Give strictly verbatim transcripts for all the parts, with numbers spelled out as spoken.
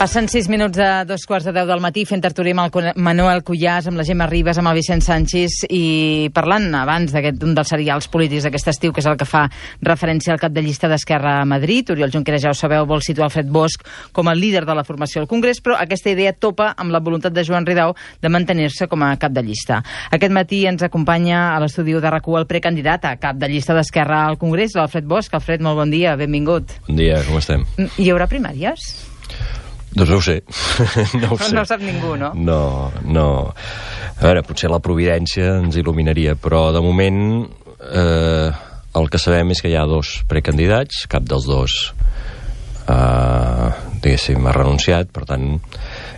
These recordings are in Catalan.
Passen sis minuts de dos quarts de deu del matí fent tertúlia amb el Manuel Cuyàs, amb la Gemma Ribas, amb el Vicent Sanchis i parlant abans d'aquest un dels serials polítics d'aquest estiu, que és el que fa referència al cap de llista d'Esquerra a Madrid. Oriol Junqueras, ja ho sabeu, vol situar Alfred Bosch com a líder de la formació al Congrés, però aquesta idea topa amb la voluntat de Joan Ridao de mantenir-se com a cap de llista. Aquest matí ens acompanya a l'estudi de RAC u el precandidat a cap de llista d'Esquerra al Congrés, l'Alfred Bosch. Alfred, molt bon dia, benvingut. Bon dia, com estem? Hi haurà primàries? Doncs no ho sé. no ho sé. No ho sap ningú, no? No, no. A veure, potser la providència ens il·luminaria, però de moment eh, el que sabem és que hi ha dos precandidats, cap dels dos eh, diguéssim, ha renunciat, per tant,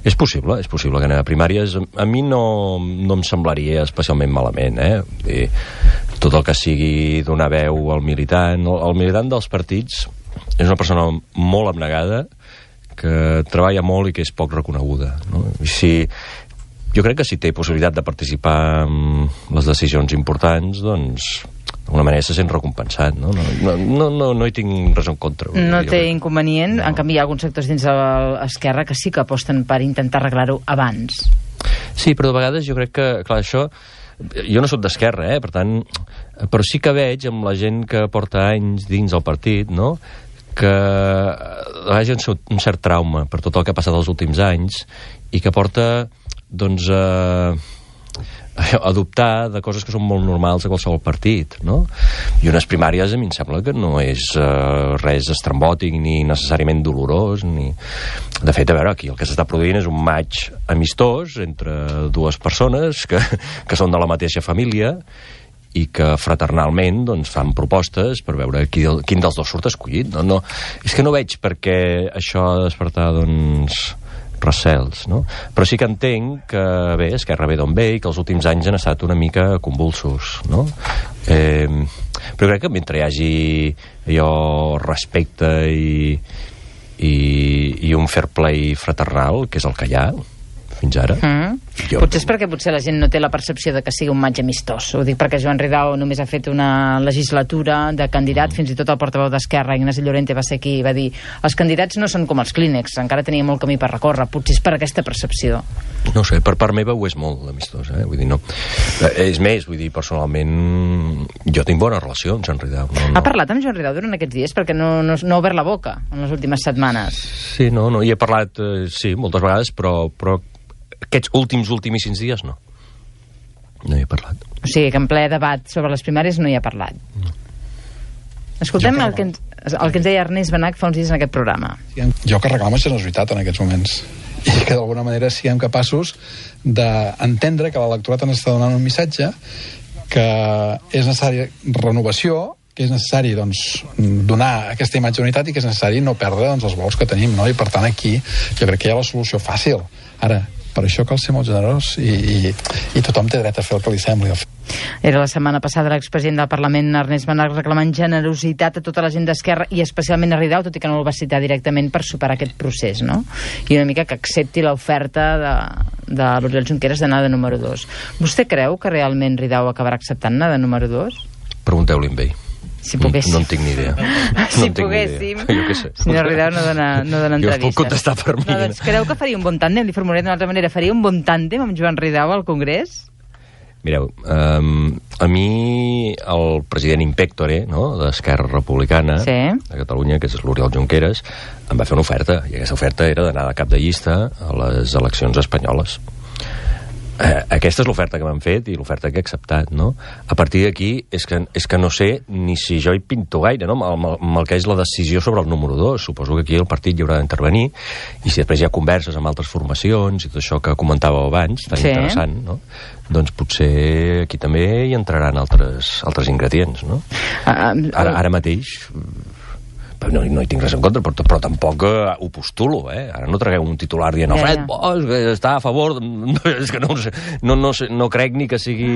és possible, és possible que anem a primàries. A mi no, no em semblaria especialment malament, eh? I tot el que sigui donar veu al militant. El militant dels partits és una persona molt abnegada, que treballa molt i que és poc reconeguda, no? I si, jo crec que si té possibilitat de participar en les decisions importants, doncs d'alguna manera se sent recompensat, no? No, no, no, no hi tinc res en contra. No té inconvenient, no. En canvi hi ha alguns sectors dins de l'Esquerra que sí que aposten per intentar arreglar-ho abans. Sí, però de vegades jo crec que, clar, això... Jo no soc d'Esquerra, eh? Per tant, però sí que veig amb la gent que porta anys dins el partit, no?, que vagi un cert trauma per tot el que ha passat els últims anys i que porta, doncs, a, a dubtar de coses que són molt normals a qualsevol partit, no? I unes primàries a mi em sembla que no és uh, res estrambòtic ni necessàriament dolorós, ni... De fet, a veure, aquí el que s'està produint és un maig amistós entre dues persones que, que són de la mateixa família i que fraternalment doncs, fan propostes per veure qui, quin dels dos surt escollit. No, no, és que no veig per què això ha de despertar doncs, recels, no? Però sí que entenc que, bé, Esquerra ve d'on ve i que els últims anys han estat una mica convulsos, no? Eh, però crec que mentre hi hagi allò respecte i, i, i un fair play fraternal, que és el que hi ha fins ara. Mm. Jo... Potser és perquè potser la gent no té la percepció de que sigui un maig amistós. Ho dic perquè Joan Ridao només ha fet una legislatura de candidat, mm. fins i tot el portaveu d'Esquerra, Ignasi Llorente, va ser qui va dir els candidats no són com els clínex, encara tenia molt camí per recórrer. Potser és per aquesta percepció. No sé, per part meva ho és molt amistós, eh? Vull dir, no. És més, vull dir, personalment jo tinc bona relació amb Joan Ridao. No, no. Ha parlat amb Joan Ridao durant aquests dies? Perquè no, no, no ha obert la boca en les últimes setmanes. Sí, no, no, hi he parlat, eh, sí, moltes vegades, però, però aquests últims, últimíssims dies, no. No hi he parlat. O sigui, que en ple debat sobre les primàries no hi ha parlat. No. Escoltem el que, ens, el que ens deia Ernest Benach fa uns dies en aquest programa. Jo que reclamo generositat en aquests moments. I que d'alguna manera siguem capaços d'entendre que l'electorat ens està donant un missatge que és necessari renovació, que és necessari doncs, donar aquesta imatge d'unitat i que és necessari no perdre doncs, els vols que tenim, no? I per tant aquí jo crec que hi ha la solució fàcil. Ara, per això cal ser molt generós i, i, i tothom té dret a fer el que li sembli. Era la setmana passada l'expresident del Parlament, Ernest Benach, reclamant generositat a tota la gent d'Esquerra i especialment a Ridao, tot i que no el va citar directament, per superar aquest procés, no? I una mica que accepti l'oferta de, de l'Oriol Junqueras d'anar de número dos. Vostè creu que realment Ridao acabarà acceptant anar de número dos? Pregunteu-li amb ell. Si poguéssim. No, no en tinc ni idea. Si no poguéssim. Jo què sé. Senyor Ridao no dona, no dona entrevistes. Jo us puc contestar per mi. No, doncs creu que faria un bon tàndem? Li formularé d'una altra manera. Faria un bon tàndem amb Joan Ridao al Congrés? Mireu, um, a mi el president impectore, no?, d'Esquerra Republicana, sí, de Catalunya, que és l'Oriol Junqueras, em va fer una oferta, i aquesta oferta era d'anar de cap de llista a les eleccions espanyoles. Eh, aquesta és l'oferta que m'han fet i l'oferta que he acceptat, no? A partir d'aquí és que, és que no sé ni si jo hi pinto gaire, no? Amb el, amb el que és la decisió sobre el número dos. Suposo que aquí el partit hi haurà d'intervenir i si després hi ha converses amb altres formacions i tot això que comentàveu abans, tan sí, interessant, no? Doncs potser aquí també hi entraran altres, altres ingredients, no? Uh, ara, ara mateix... No, no hi tinc res en contra, però, però tampoc eh, ho postulo, eh? Ara no tragueu un titular dient Alfred yeah, yeah. Bosch, que està a favor... No, és que no, no, no, no crec ni que sigui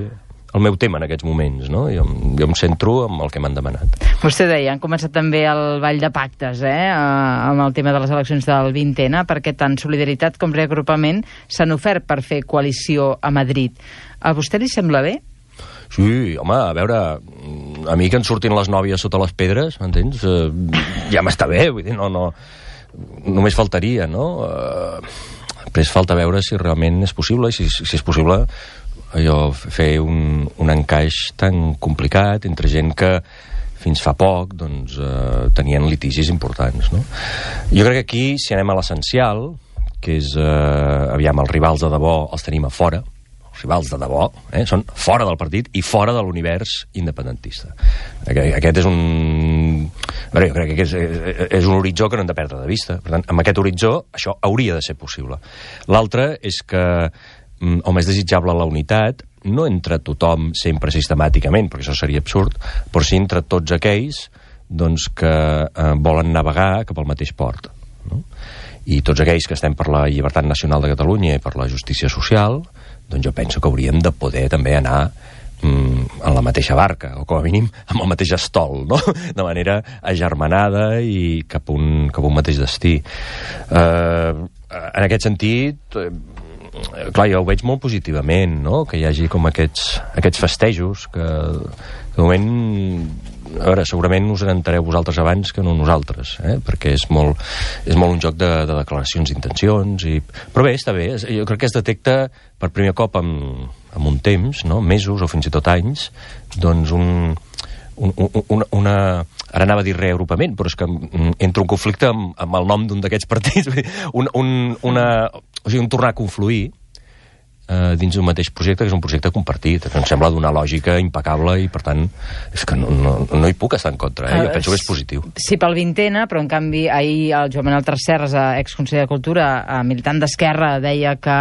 el meu tema en aquests moments, no? Jo, jo em centro amb el que m'han demanat. Vostè deia, han començat també el ball de pactes, eh? Amb el tema de les eleccions del vint ena, perquè tant Solidaritat com Reagrupament s'han ofert per fer coalició a Madrid. A vostè li sembla bé? Sí, home, a veure, a mi que en surtin les nòvies sota les pedres, m'entens? Uh, ja m'està bé, vull dir, no, no... només faltaria, no? Eh, després falta veure si realment és possible, i si, si és possible allò, fer un, un encaix tan complicat entre gent que fins fa poc doncs, eh, tenien litigis importants, no? Jo crec que aquí, si anem a l'essencial, que és, eh, aviam, els rivals de debò els tenim a fora, els rivals de debò, eh, són fora del partit i fora de l'univers independentista. Aquest és un... A veure, jo crec que és, és un horitzó que no hem de perdre de vista. Per tant, amb aquest horitzó, això hauria de ser possible. L'altre és que, home, és desitjable la unitat, no entre tothom sempre sistemàticament, perquè això seria absurd, però sí entre tots aquells doncs, que eh, volen navegar cap al mateix port. No? I tots aquells que estem per la llibertat nacional de Catalunya i per la justícia social, doncs jo penso que hauríem de poder també anar mm, en la mateixa barca, o com a mínim amb el mateix estol, no? De manera agermanada i cap a un, cap a un mateix destí. Eh, en aquest sentit... Eh, clar, jo ho veig molt positivament, no? Que hi hagi com aquests, aquests festejos que, que de moment, a veure, segurament us n'entareu vosaltres abans que no nosaltres, eh? Perquè és molt, és molt un joc de, de declaracions d'intencions i... Però bé, està bé, jo crec que es detecta per primer cop en, en un temps, no? Mesos o fins i tot anys, doncs un, un, un, una, una... Ara anava a dir reagrupament, però és que entra un conflicte amb, amb el nom d'un d'aquests partits. un, un, una, o sigui, un tornar a confluir eh, dins d'un mateix projecte, que és un projecte compartit, que em sembla d'una lògica impecable i, per tant, és que no, no, no hi puc estar en contra, eh? Jo penso que és positiu. Sí, pel vintena, però en canvi ahir el Joan Manuel Tresserras, exconseller de Cultura, militant d'Esquerra, deia que,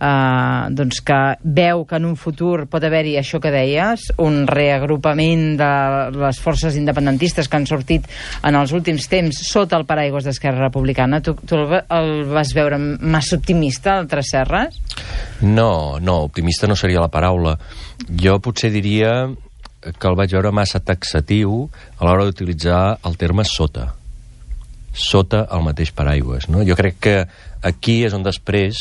eh, doncs que veu que en un futur pot haver-hi això que deies, un reagrupament de les forces independentistes que han sortit en els últims temps sota el paraigües d'Esquerra Republicana. Tu, tu el vas veure massa optimista, el Tresserras? No, no, optimista no seria la paraula. Jo potser diria que el vaig veure massa taxatiu a l'hora d'utilitzar el terme sota. Sota el mateix paraigües, no? Jo crec que aquí és on després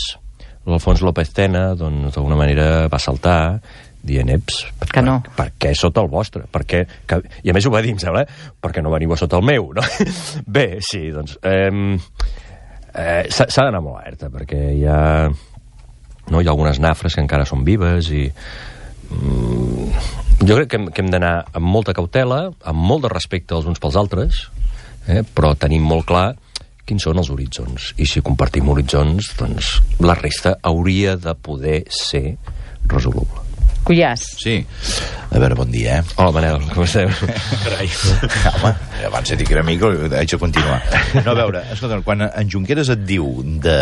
l'Alfons López Tena, doncs, d'alguna manera va saltar dient, eps, per, que no. per, per què sota el vostre? Per què, que, I a més ho va dir, em sembla, perquè no veniu a sota el meu, no? Bé, sí, doncs... Eh, eh, s'ha d'anar molt alerta, perquè hi ha... No? Hi ha algunes nafres que encara són vives i mm, jo crec que hem, que hem d'anar amb molta cautela, amb molt de respecte els uns pels altres, eh? Però tenim molt clar quins són els horitzons, i si compartim horitzons, doncs la resta hauria de poder ser resoluble. Cuyàs. Sí. A veure, bon dia, eh? Hola, Manel, com esteu? Carai. Home, abans de dir que era amic, haig de continuar. No, a veure, escolta, quan en Junqueras et diu de...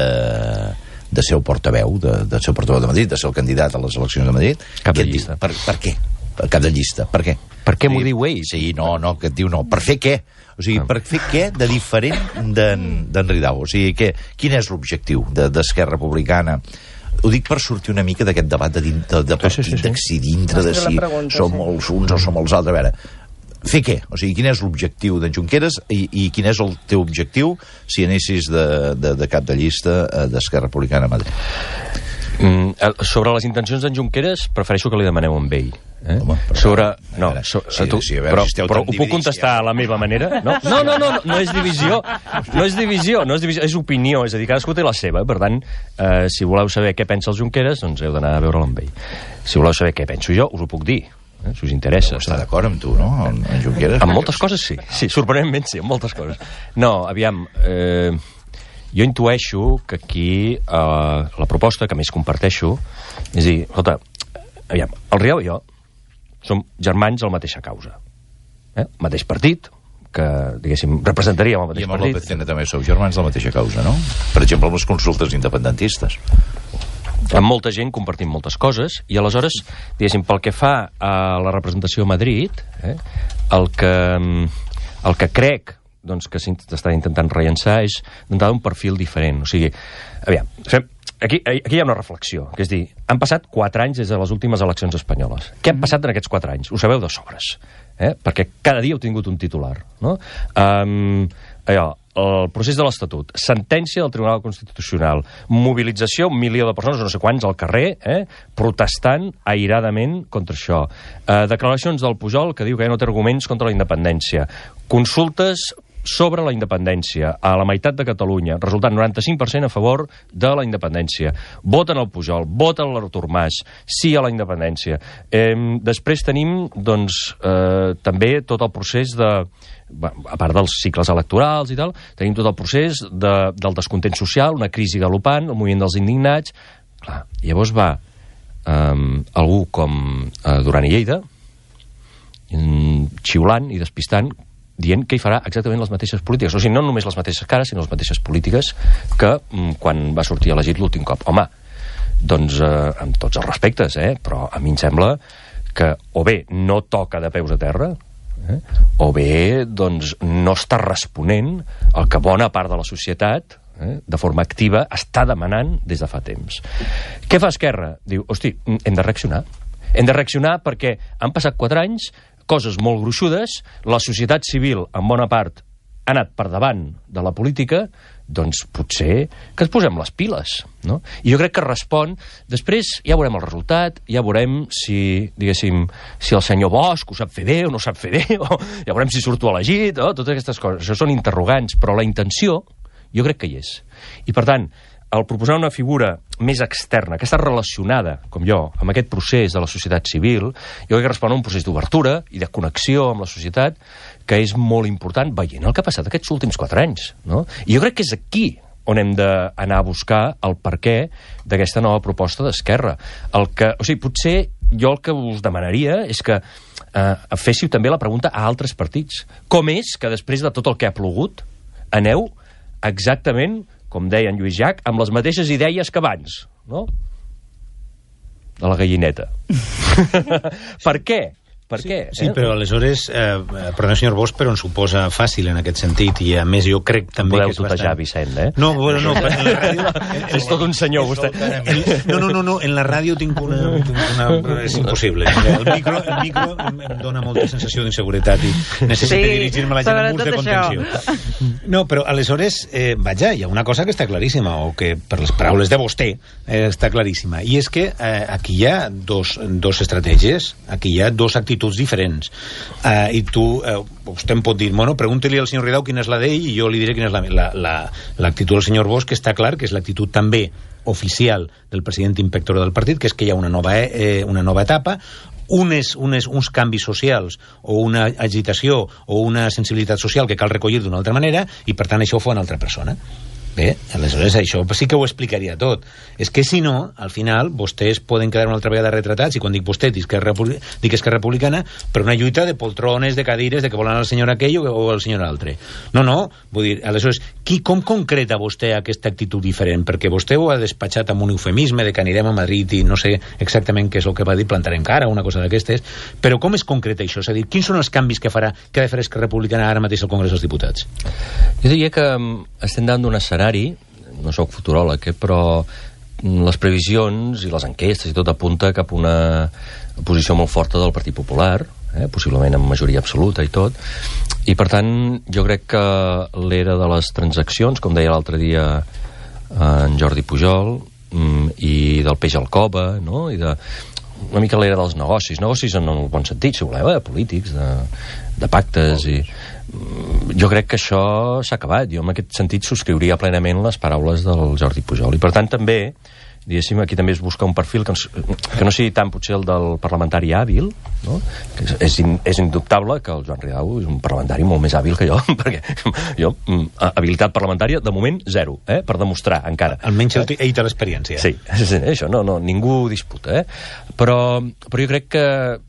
de ser el portaveu, de, de ser el portaveu de Madrid, de ser el candidat a les eleccions de Madrid... Cap de llista. Per, per què? Per cap de llista. Per què? Per què m'ho diu ell? Sí, no, no, que et diu no. Per fer què? O sigui, per fer què de diferent d'en Ridao? O sigui, que, quin és l'objectiu d'Esquerra Republicana? Ho dic per sortir una mica d'aquest debat de, de, de partit, sí, sí, sí. De si dintre de si pregunta, som sí. els uns o som els altres. A veure, fer què? O sigui, quin és l'objectiu d'en Junqueras i, i quin és el teu objectiu si anessis de, de, de cap de llista d'Esquerra Republicana a Madrid? Mm, sobre les intencions d'en Junqueras, prefereixo que li demaneu amb ell. Eh? Home, però, sobre... No, veure, so, sí, tu, sí, veure, però, si però ho puc contestar a la meva manera? No, no, no, no, no, no és divisió. No és divisió, no és divisió, és opinió. És a dir, cadascú té la seva. Per tant, eh, si voleu saber què pensa el Junqueras, doncs heu d'anar a veure'l amb ell. Si voleu saber què penso jo, us ho puc dir. Eh, si us interessa. Està d'acord amb tu, no? En, en Junqueras? En moltes coses sí. Sí, sorprenentment sí, en moltes coses. No, aviam, eh, jo intueixo que aquí eh, la proposta que més comparteixo és dir, escolta, aviam, el Riau i jo som germans a la mateixa causa. Eh? Mateix partit, que, diguéssim, representaríem el mateix partit. I amb el López Tena també sou germans de la mateixa causa, no? Per exemple, amb les consultes independentistes. Amb molta gent compartim moltes coses i aleshores, diguéssim, pel que fa a la representació a Madrid, eh, el, que, el que crec doncs, que s'està intentant rellençar és d'entrada un perfil diferent. O sigui, aviam, fem, aquí, aquí hi ha una reflexió, que és dir, han passat quatre anys des de les últimes eleccions espanyoles. Què han passat en aquests quatre anys? Ho sabeu de sobres, eh? Perquè cada dia heu tingut un titular, no? Um, allò, el procés de l'Estatut, sentència del Tribunal Constitucional, mobilització, un milió de persones, no sé quants, al carrer, eh, protestant airadament contra això. Eh, declaracions del Pujol que diu que ja no té arguments contra la independència. Consultes sobre la independència a la meitat de Catalunya, resultant noranta-cinc per cent a favor de la independència. Voten el Pujol, voten l'Artur Mas, sí a la independència. Eh, després tenim, doncs, eh, també tot el procés de... a part dels cicles electorals i tal, tenim tot el procés de, del descontent social, una crisi galopant, el moviment dels indignats. Clar, llavors va eh, algú com eh, Duran i Lleida, xiulant i despistant, dient que hi farà exactament les mateixes polítiques. O sigui, no només les mateixes cares, sinó les mateixes polítiques que quan va sortir elegit l'últim cop. Home, doncs, eh, amb tots els respectes, eh, però a mi em sembla que o bé no toca de peus a terra, eh, o bé doncs, no està responent el que bona part de la societat, eh, de forma activa, està demanant des de fa temps. Què fa Esquerra? Diu, hosti, hem de reaccionar. Hem de reaccionar perquè han passat quatre anys, coses molt gruixudes, la societat civil, en bona part, ha anat per davant de la política, doncs potser que ens posem les piles, no? I jo crec que respon... Després ja veurem el resultat, ja veurem si, diguéssim, si el senyor Bosch ho sap fer bé o no sap fer bé, o ja veurem si surto elegit, o totes aquestes coses. Això són interrogants, però la intenció jo crec que hi és. I per tant, al proposar una figura més externa, que està relacionada, com jo, amb aquest procés de la societat civil, jo crec que respon a un procés d'obertura i de connexió amb la societat que és molt important, veient el que ha passat aquests últims quatre anys, no? I jo crec que és aquí on hem d'anar a buscar el perquè d'aquesta nova proposta d'Esquerra. El que, o sigui, potser jo el que us demanaria és que eh, féssiu també la pregunta a altres partits. Com és que després de tot el que ha plogut aneu exactament, com deia en Lluís Llach, amb les mateixes idees que abans, no? De la gallineta. Per què? Per sí, què? Sí, eh? però aleshores, eh, perdó, senyor Bosch, però ens suposa fàcil en aquest sentit, i a més jo crec també Podeu que és tutejar, bastant... Vicent, eh? No, bueno, no, en la ràdio... És tot un senyor, vostè. No, no, no, no, en la ràdio tinc una... una és impossible. El micro, el micro em, em dona molta sensació d'inseguretat i necessito sí, dirigir-me a la gent amb ús de contenció. Això. No, però aleshores, eh, vaja, hi ha una cosa que està claríssima, o que per les paraules de vostè eh, està claríssima, i és que eh, aquí hi ha dos, dos estratègies, aquí hi ha dos actituds diferents. Uh, i tu, uh, vostè em pot dir, bueno, pregunti-li al senyor Ridao quina és la d'ell i jo li diré quina és l'actitud la, la, la, del senyor Bosch, que està clar que és l'actitud també oficial del president inspector del partit, que és que hi ha una nova, eh, una nova etapa, unes, unes, uns canvis socials o una agitació o una sensibilitat social que cal recollir d'una altra manera i per tant això ho fa una altra persona. Bé, aleshores això sí que ho explicaria tot. És que si no, al final vostès poden quedar una altra vegada retratats, i quan dic vostè dic que dic Esquerra Republicana, per una lluita de poltrones, de cadires, de que volen el senyor aquell o el senyor altre. No, no, vull dir, aleshores, qui, com concreta vostè aquesta actitud diferent? Perquè vostè ho ha despatxat amb un eufemisme de que anirem a Madrid i no sé exactament què és el que va dir, plantarem cara, una cosa d'aquestes, però com es concreta això? És a dir, quins són els canvis que farà, que ha de fer Esquerra Republicana ara mateix al Congrés dels Diputats? Jo diria que estem davant d'un escenari, no sóc futuròleg, eh, però les previsions i les enquestes i tot apunta cap a una posició molt forta del Partit Popular, eh, possiblement amb majoria absoluta i tot, i per tant jo crec que l'era de les transaccions, com deia l'altre dia en Jordi Pujol, i del peix al cova, no? I de una mica l'era dels negocis, negocis en el bon sentit, si voleu, eh, polítics, de, de pactes, i jo crec que això s'ha acabat. Jo en aquest sentit subscriuria plenament les paraules del Jordi Pujol, i per tant també, diguéssim, aquí també es busca un perfil que, ens, que no sigui tant potser el del parlamentari hàbil, no? Que és, és, in, és indubtable que el Joan Ridao és un parlamentari molt més hàbil que jo, perquè jo, habilitat parlamentària, de moment, zero, eh? Per demostrar, encara. Almenys ell té l'experiència. Sí, sí, això no, no, ningú disputa, eh? Però, però jo crec que,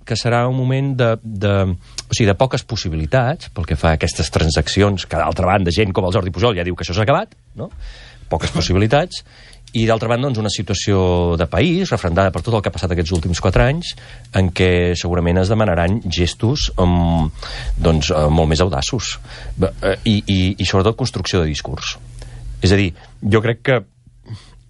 que serà un moment de, de, o sigui, de poques possibilitats, pel que fa a aquestes transaccions, que d'altra banda, gent com el Jordi Pujol ja diu que això s'ha acabat, no? Poques possibilitats, i d'altra banda doncs, una situació de país refrendada per tot el que ha passat aquests últims quatre anys, en què segurament es demanaran gestos um, doncs, uh, molt més audaços i, i, i sobretot construcció de discurs. És a dir, jo crec que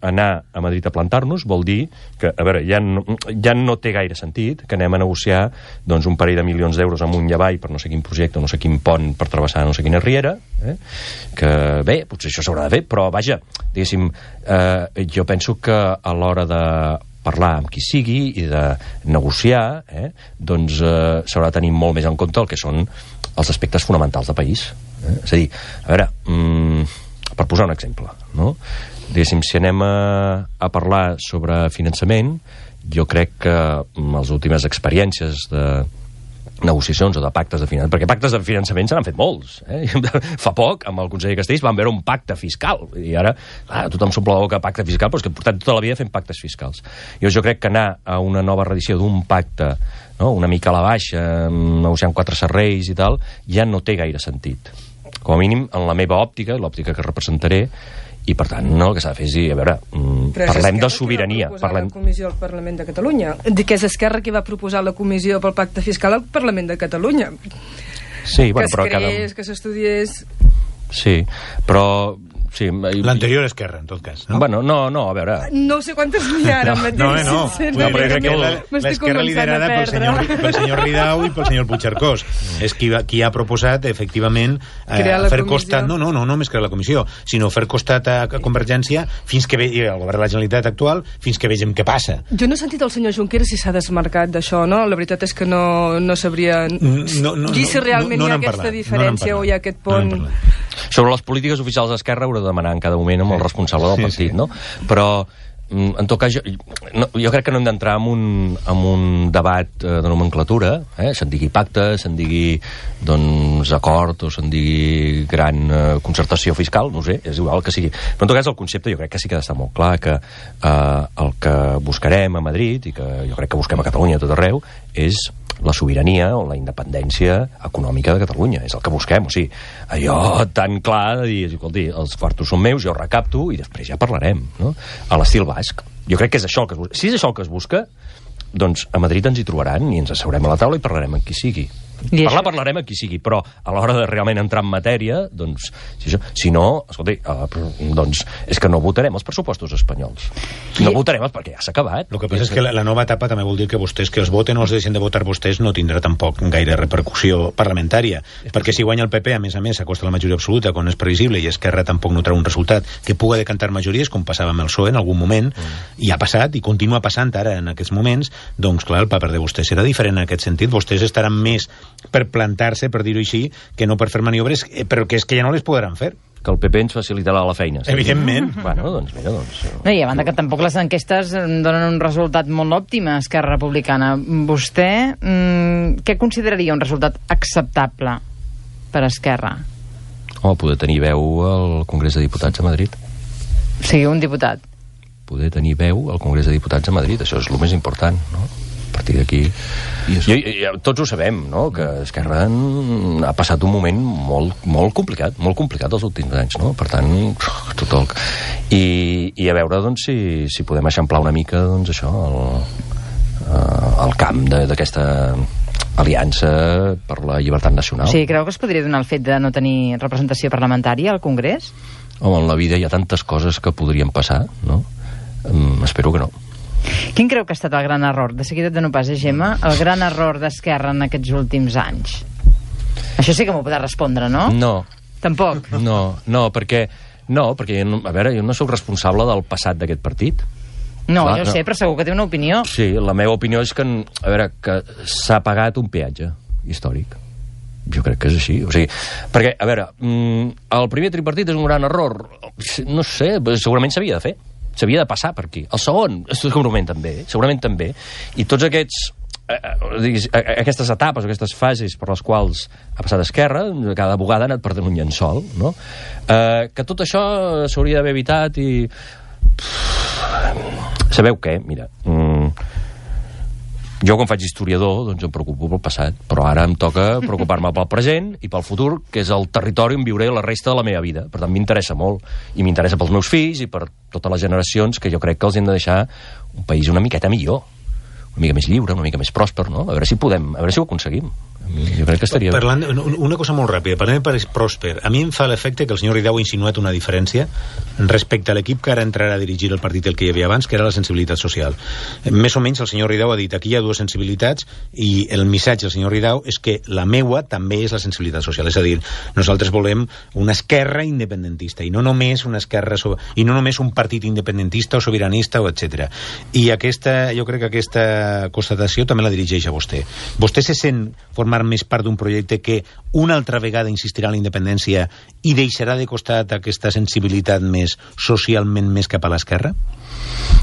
anar a Madrid a plantar-nos vol dir que, a veure, ja no, ja no té gaire sentit que anem a negociar doncs, un parell de milions d'euros amunt i avall per no sé quin projecte, no sé quin pont per travessar no sé quina riera, eh? Que bé, potser això s'haurà de fer, però vaja, diguéssim, eh, jo penso que a l'hora de parlar amb qui sigui i de negociar, eh, doncs eh, s'haurà de tenir molt més en compte el que són els aspectes fonamentals de país. Eh? És a dir, a veure, mm, per posar un exemple, no? Diguéssim, si anem a, a parlar sobre finançament, jo crec que les últimes experiències de negociacions o de pactes de finançament, perquè pactes de finançament se n'han fet molts. Eh? Fa poc, amb el conseller Castells, vam veure un pacte fiscal, i ara clar, tothom s'omple la boca pacte fiscal, però és que portem tota la vida fent pactes fiscals. Jo, jo crec que anar a una nova reedició d'un pacte, no? Una mica a la baixa, negociant quatre serreis i tal, ja no té gaire sentit. Com a mínim, en la meva òptica, l'òptica que representaré, i per tant, no, el que s'ha de fer és dir, a veure, parlem de sobirania. Però és Esquerra parlem... la comissió al Parlament de Catalunya. Dic que és Esquerra qui va proposar la comissió pel pacte fiscal al Parlament de Catalunya. Sí, bueno, que es però creés, cada... que s'estudiés... Sí, però... Sí, l'anterior Esquerra, en tot cas, no? Bueno, no, no, a veure... No sé quantes n'hi ha ara mateix. No, no, no. No, però crec que l'Esquerra liderada pel senyor, pel senyor Ridao i pel senyor Puigcercós. És qui, va, qui ha proposat, efectivament, eh, fer comissió. Costat... No, no, no, no només crear la comissió, sinó fer costat a, a Convergència fins que ve, i al govern de la Generalitat actual, fins que vegem què passa. Jo no he sentit el senyor Junqueras si s'ha desmarcat d'això, no? La veritat és que no, no sabria no, no, dir si realment no, no, no hi ha aquesta parlat, diferència no o hi ha aquest pont... No sobre les polítiques oficials d'Esquerra haurà de demanar en cada moment amb el responsable del partit, sí, sí. No? Però, en tot cas, jo, no, jo crec que no hem d'entrar en, un, en un debat eh, de nomenclatura, eh? Se'n digui pacte, se'n digui doncs, acord, o se'n digui gran eh, concertació fiscal, no sé, és igual que sigui. Però en tot cas el concepte jo crec que sí que ha d'estar molt clar, que eh, el que buscarem a Madrid, i que jo crec que busquem a Catalunya a tot arreu, és la sobirania o la independència econòmica de Catalunya. És el que busquem. O sigui, allò tan clar de dir, escolti, els quartos són meus, jo recapto i després ja parlarem, no? A l'estil basc. Jo crec que és això el que es busca. Si és això el que es busca, doncs a Madrid ens hi trobaran i ens asseurem a la taula i parlarem amb qui sigui. I parlar parlarem amb qui sigui, però a l'hora de realment entrar en matèria, doncs, si, això, si no, escolti, eh, doncs és que no votarem els pressupostos espanyols. No I... votarem els perquè ja s'ha acabat. El que passa és que la, la nova etapa també vol dir que vostès que els voten o els deixen de votar vostès no tindrà tampoc gaire repercussió parlamentària, perquè si guanya el P P, a més a més, s'acosta la majoria absoluta, quan és previsible, i Esquerra tampoc no treu un resultat que puga decantar majories, com passava amb el P S O E en algun moment, mm. i ha passat, i continua passant ara en aquests moments, doncs clar, el paper de vostès serà diferent en aquest sentit. Vostès estaran més per plantar-se, per dir-ho així, que no per fer maniobres, però que és que ja no les podran fer. Que el P P ens facilitarà la feina. Sí? Evidentment. Bueno, doncs mira, doncs... No, i a banda que tampoc les enquestes donen un resultat molt òptim a Esquerra Republicana. Vostè, mmm, què consideraria un resultat acceptable per Esquerra? Home, poder tenir veu al Congrés de Diputats a Madrid. Sí, un diputat. Poder tenir veu al Congrés de Diputats a Madrid, això és el més important, no? A partir d'aquí... Jo, jo, tots ho sabem, no?, que Esquerra ha passat un moment molt, molt complicat, molt complicat els últims anys, no? Per tant, tot el... I, i a veure, doncs, si, si podem eixamplar una mica, doncs, això, el, el camp d'aquesta aliança per la llibertat nacional. Sí, creu que es podria donar el fet de no tenir representació parlamentària al Congrés? Home, en la vida hi ha tantes coses que podrien passar, no? Um, espero que no. Quin creu que ha estat el gran error, de seguida de no pas, eh, Gemma, el gran error d'Esquerra en aquests últims anys? Això sí que m'ho podrà respondre, no? No. Tampoc? No, no, perquè, no, perquè a veure, jo no sóc responsable del passat d'aquest partit. No, Clar, jo no. sé, però segur que té una opinió. Sí, la meva opinió és que, a veure, que s'ha pagat un peatge històric. Jo crec que és així. O sigui, perquè, a veure, el primer tripartit és un gran error. No sé, segurament s'havia de fer. S'havia de passar per aquí. El segon, segurament també, segurament també. I tots aquests, eh, diguis, aquestes etapes, aquestes fases per les quals ha passat Esquerra, cada vegada ha anat perdent un llençol, no? Eh, que tot això s'hauria d'haver evitat i... Sabeu què? Mira... Mm, jo, quan faig historiador, doncs em preocupo pel passat, però ara em toca preocupar-me pel present i pel futur, que és el territori on viuré la resta de la meva vida. Per tant, m'interessa molt, i m'interessa pels meus fills i per totes les generacions, que jo crec que els hem de deixar un país una miqueta millor, una mica més lliure, una mica més pròsper, no? A veure si podem, a veure si ho aconseguim. Jo crec que estaria... Parlant, una cosa molt ràpida, parlant de país pròsper, a mi em fa l'efecte que el senyor Ridao ha insinuat una diferència respecte a l'equip que ara entrarà a dirigir el partit el que hi havia abans, que era la sensibilitat social. Més o menys el senyor Ridao ha dit aquí hi ha dues sensibilitats i el missatge del senyor Ridao és que la meua també és la sensibilitat social, és a dir, nosaltres volem una esquerra independentista i no només una esquerra so... i no només un partit independentista o sobiranista o etcètera. I aquesta, jo crec que aquesta aquesta constatació també la dirigeix a vostè. Vostè se sent formar més part d'un projecte que una altra vegada insistirà en la independència i deixarà de costat aquesta sensibilitat més socialment més cap a l'esquerra?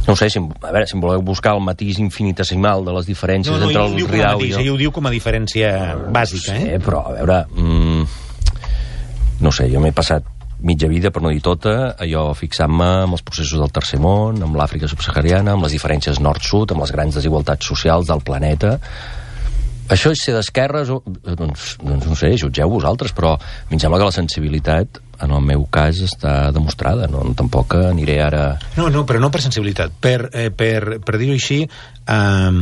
No ho sé, si, a veure, si em voleu buscar el matís infinitesimal de les diferències no, no, entre el Ridao i jo... Ell ho diu com a diferència bàsica, no sé, eh? Però, a veure... Mm, no sé, jo m'he passat mitja vida, per no dir tota, allò fixant-me amb els processos del tercer món, amb l'Àfrica subsahariana, amb les diferències nord-sud, amb les grans desigualtats socials del planeta. Això és ser d'esquerres? Doncs, doncs no sé, jutgeu vosaltres, però a mi em sembla que la sensibilitat, en el meu cas, està demostrada. No, tampoc aniré ara... No, no, però no per sensibilitat, per, eh, per, per dir-ho així, um,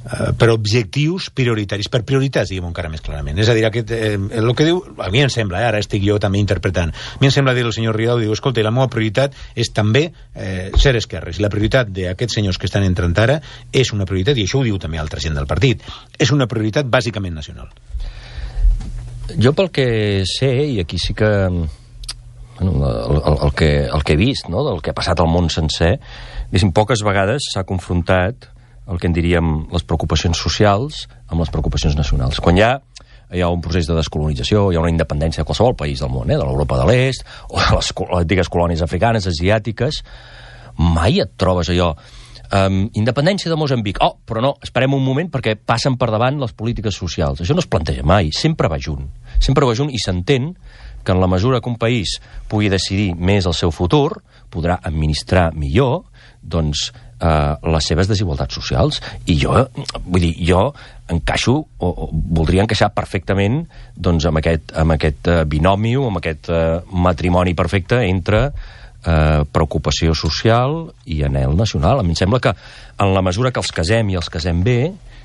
uh, per objectius prioritaris, per prioritats, diguem-ho encara més clarament. És a dir, aquest, eh, el que diu, a mi em sembla, eh, ara estic jo també interpretant, a mi em sembla dir el senyor Ridao, diu, escolta, la meva prioritat és també eh, ser esquerres, i la prioritat d'aquests senyors que estan entrant ara és una prioritat, i això ho diu també altra gent del partit, és una prioritat bàsicament nacional. Jo pel que sé, i aquí sí que... Bueno, el, el, el, que, el que he vist, no?, del que ha passat al món sencer, diguéssim, poques vegades s'ha confrontat el que en diríem les preocupacions socials amb les preocupacions nacionals. Quan hi ha, hi ha un procés de descolonització, hi ha una independència de qualsevol país del món, eh, de l'Europa de l'Est, o de les antigues colònies africanes, asiàtiques, mai et trobes allò... Um, independència de Moçambic. Oh, però no, esperem un moment perquè passen per davant les polítiques socials. Això no es planteja mai, sempre va junt. Sempre va junt i s'entén que en la mesura que un país pugui decidir més el seu futur, podrà administrar millor, doncs, eh, les seves desigualtats socials. I jo, vull dir, jo encaixo, o, o voldria encaixar perfectament, doncs, amb aquest, amb aquest eh, binomi, amb aquest eh, matrimoni perfecte entre eh, preocupació social i anhel nacional. A mi em sembla que en la mesura que els casem i els casem bé,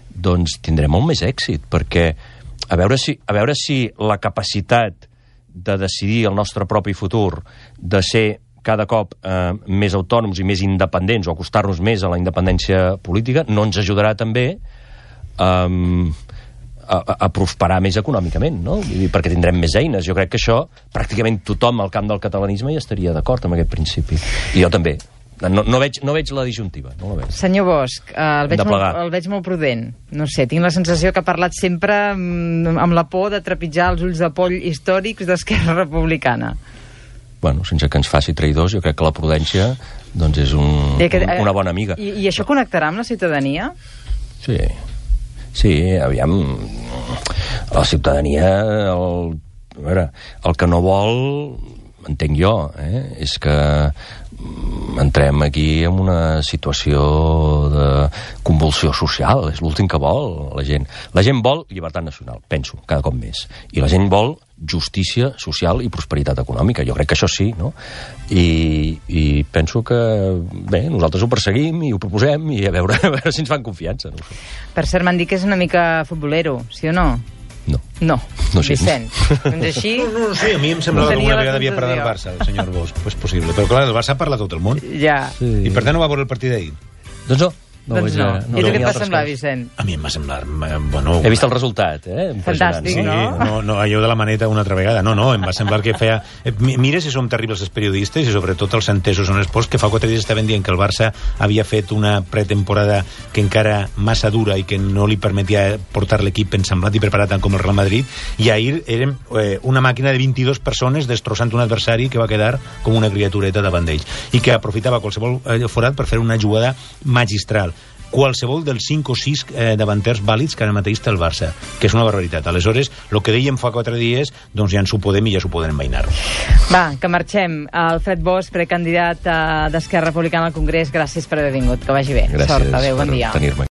doncs tindrem molt més èxit, perquè a veure si, a veure si la capacitat de decidir el nostre propi futur, de ser cada cop eh, més autònoms i més independents, o acostar-nos més a la independència política, no ens ajudarà també eh, a, a prosperar més econòmicament, no? Vull dir, perquè tindrem més eines. Jo crec que això, pràcticament tothom al camp del catalanisme hi estaria d'acord amb aquest principi. I jo també. No, no, veig, no veig la disjuntiva, no la veig. Senyor Bosch, eh, el, veig molt, el veig molt prudent. No sé, tinc la sensació que ha parlat sempre mm, amb la por de trepitjar els ulls de poll històrics d'Esquerra Republicana. Bueno, sense que ens faci traïdors, jo crec que la prudència doncs és un, que, eh, una bona amiga. I, I això connectarà amb la ciutadania? Sí, sí, aviam, la ciutadania, el, a veure, el que no vol, entenc jo, eh, és que entrem aquí en una situació de convulsió social. És l'últim que vol la gent. La gent vol llibertat nacional, penso, cada cop més. I la gent vol justícia social i prosperitat econòmica. Jo crec que això sí, no? I, i penso que, bé, nosaltres ho perseguim i ho proposem i a veure, a veure si ens fan confiança. No sé. Per cert, m'han dit que és una mica futbolero, sí o no? No. No, no sí. Vicent. Doncs així... No, no, no, sí, a mi em semblava no que alguna vegada havia parlat del Barça, el senyor Bosch. Pues possible. Però clar, el Barça parla tot el món. Ja. Sí. I per tant no va veure el partit d'ahir. Doncs no. No, doncs no. no. I tu què et va semblar, Vicent? A mi em va semblar... Bueno, he vist el resultat, eh? Fantàstic, sí, no? no? No, allò de la maneta una altra vegada. No, no, em va semblar que feia... Mira si som terribles els periodistes i sobretot els entesos en esports, que fa quatre dies estaven dient que el Barça havia fet una pretemporada que encara massa dura i que no li permetia portar l'equip ensamblat i preparat tant com el Real Madrid, i ahir érem eh, una màquina de vint-i-dues persones destrossant un adversari que va quedar com una criatureta davant d'ells i que aprofitava qualsevol forat per fer una jugada magistral. Qualsevol dels cinc o sis eh, davanters vàlids que ara mateix té el Barça, que és una barbaritat. Aleshores, el que dèiem fa quatre dies, doncs ja ens ho podem i ja s'ho podem envainar. Va, que marxem. Alfred Bosch, precandidat eh, d'Esquerra Republicana al Congrés, gràcies per haver vingut. Que vagi bé. Gràcies. Sort, adéu, bon dia. Tenir-me.